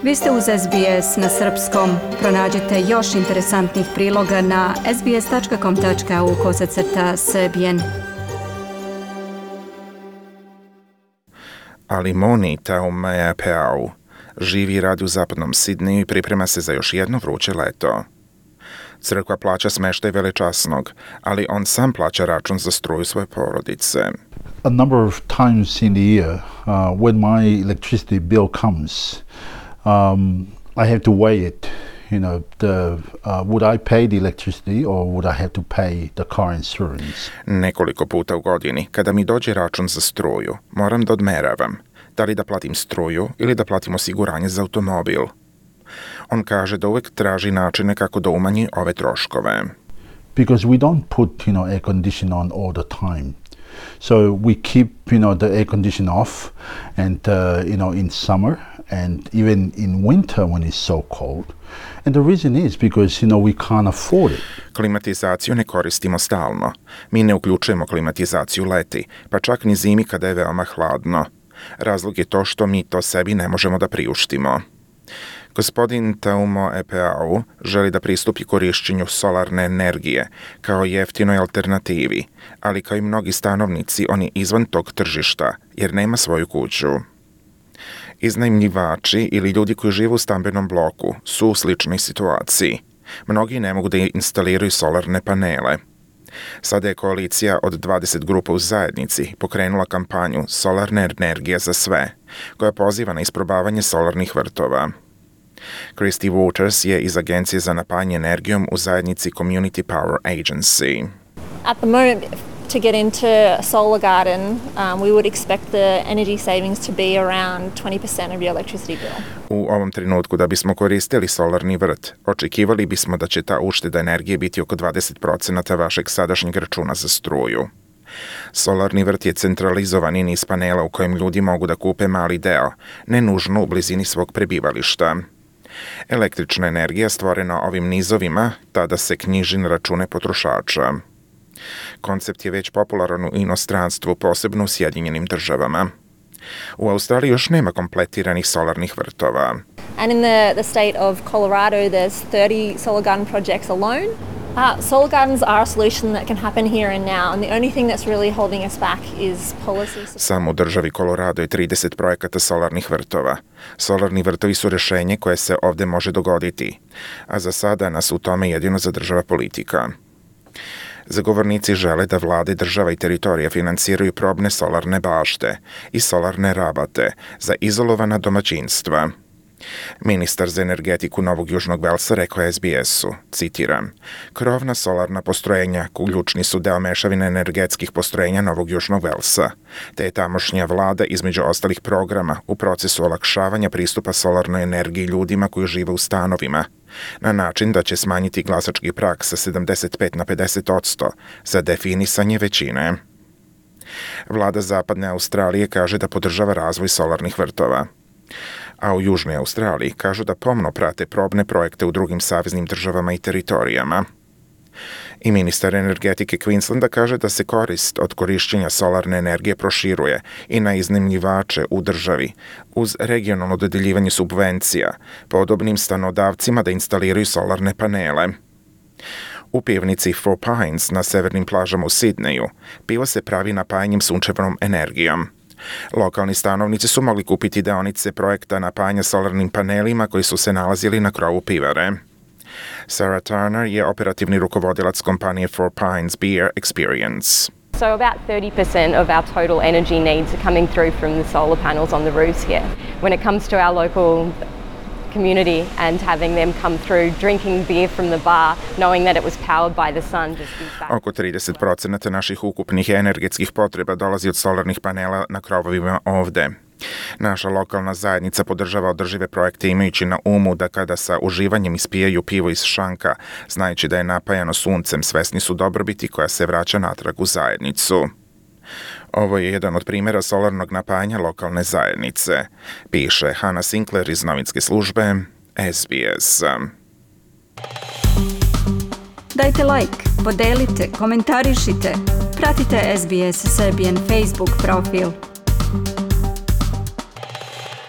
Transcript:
Vi ste uz SBS na srpskom. Pronađite još interesantnih priloga na sbs.com.au/srbijen. Ali Moni Taumaepeau živi i radi u zapadnom Sidneju i priprema se za još jedno vruće leto. Crkva plaća smeštaj velečasnog, ali on sam plaća račun za struju svoje porodice. A number of times in the year, when my electricity bill comes, I have to weigh it. Would I pay the electricity or would I have to pay the car insurance? Nekoliko puta u godini, kada mi dođe račun za struju, moram da odmeravam. Da li da platim struju ili da platim osiguranje za automobil. On kaže da uvek traži načine kako da umanji ove troškove. Because we don't put, air condition on all the time. So we keep, the air condition off and, in summer and even in winter when it's so cold. And the reason is because, we can't afford it. Klimatizaciju ne koristimo stalno. Mi ne uključujemo klimatizaciju leti, pa čak ni zimi kada je veoma hladno. Razlog je to što mi to sebi ne možemo da priuštimo. Gospodin Taumaepeau želi da pristupi korišćenju solarne energije kao jeftinoj alternativi, ali kao i mnogi stanovnici on je izvan tog tržišta jer nema svoju kuću. Iznajmljivači ili ljudi koji žive u stambenom bloku su u sličnoj situaciji. Mnogi ne mogu da instaliraju solarne panele. Sada je koalicija od 20 grupa u zajednici pokrenula kampanju Solarna energija za sve, koja poziva na isprobavanje solarnih vrtova. Christy Waters je iz Agencije za napajanje energijom u zajednici Community Power Agency. At the moment, to get into a solar garden, we would expect the energy savings to be around 20% of your electricity bill. U ovom trenutku da bismo koristili solarni vrt, očekivali bismo da će ta ušteda energije biti oko 20% vašeg sadašnjeg računa za struju. Solarni vrt je centralizovani niz panela u kojem ljudi mogu da kupe mali deo, ne nužno u blizini svog prebivališta. Električna energija stvorena ovim nizovima tada se knjiži na račune potrošača. Koncept je već popularan u inostranstvu, posebno u Sjedinjenim državama. U Australiji još nema kompletiranih solarnih vrtova. And in the state of Colorado, there's 30 solar garden projects alone. Solar gardens are a solution that can happen here and now, and the only thing that's really holding us back is policy. Samo u državi Colorado je 30 projekata solarnih vrtova. Solarni vrtovi su rješenje koje se ovdje može dogoditi, a za sada nas u tome jedino zadržava politika. Zagovornici žele da vlade država i teritorija finansiraju probne solarne bašte i solarne rabate za izolovana domaćinstva. Ministar za energetiku Novog Južnog Velsa rekao je SBS-u, citiram, krovna solarna postrojenja ključni su deo mešavine energetskih postrojenja Novog Južnog Velsa, te je tamošnja vlada između ostalih programa u procesu olakšavanja pristupa solarnoj energiji ljudima koji žive u stanovima, na način da će smanjiti glasački prag sa 75 na 50% za definisanje većine. Vlada Zapadne Australije kaže da podržava razvoj solarnih vrtova, a u Južnoj Australiji kažu da pomno prate probne projekte u drugim saveznim državama i teritorijama. I ministar energetike Queenslanda kaže da se korist od korišćenja solarne energije proširuje i na iznajmljivače u državi, uz regionalno dodeljivanje subvencija, podobnim stanodavcima da instaliraju solarne panele. U pivnici Four Pines na severnim plažama u Sidneju pivo se pravi napajanjem sunčevom energijom. Lokalni stanovnici su mogli kupiti deonice projekta napajanja solarnim panelima koji su se nalazili na krovu pivare. Sarah Turner je operativni rukovodilac kompanije Four Pines Beer Experience. So about 30% of our total energy needs are coming through from the solar panels on the roofs here. When it comes to our local community and having them come through drinking beer from the bar, knowing that it was powered by the sun. Oko 30% naših ukupnih energetskih potreba dolazi od solarnih panela na krovovima ovde. Naša lokalna zajednica podržava održive projekte imajući na umu da kada sa uživanjem ispijaju pivo iz šanka, znajući da je napajano suncem, svesni su dobrobiti koja se vraća natrag u zajednicu. Ovo je jedan od primjera solarnog napajanja lokalne zajednice, piše Hannah Sinclair iz novinske službe SBS. Dajte like, podelite, komentarišite, pratite SBS Serbian Facebook profil.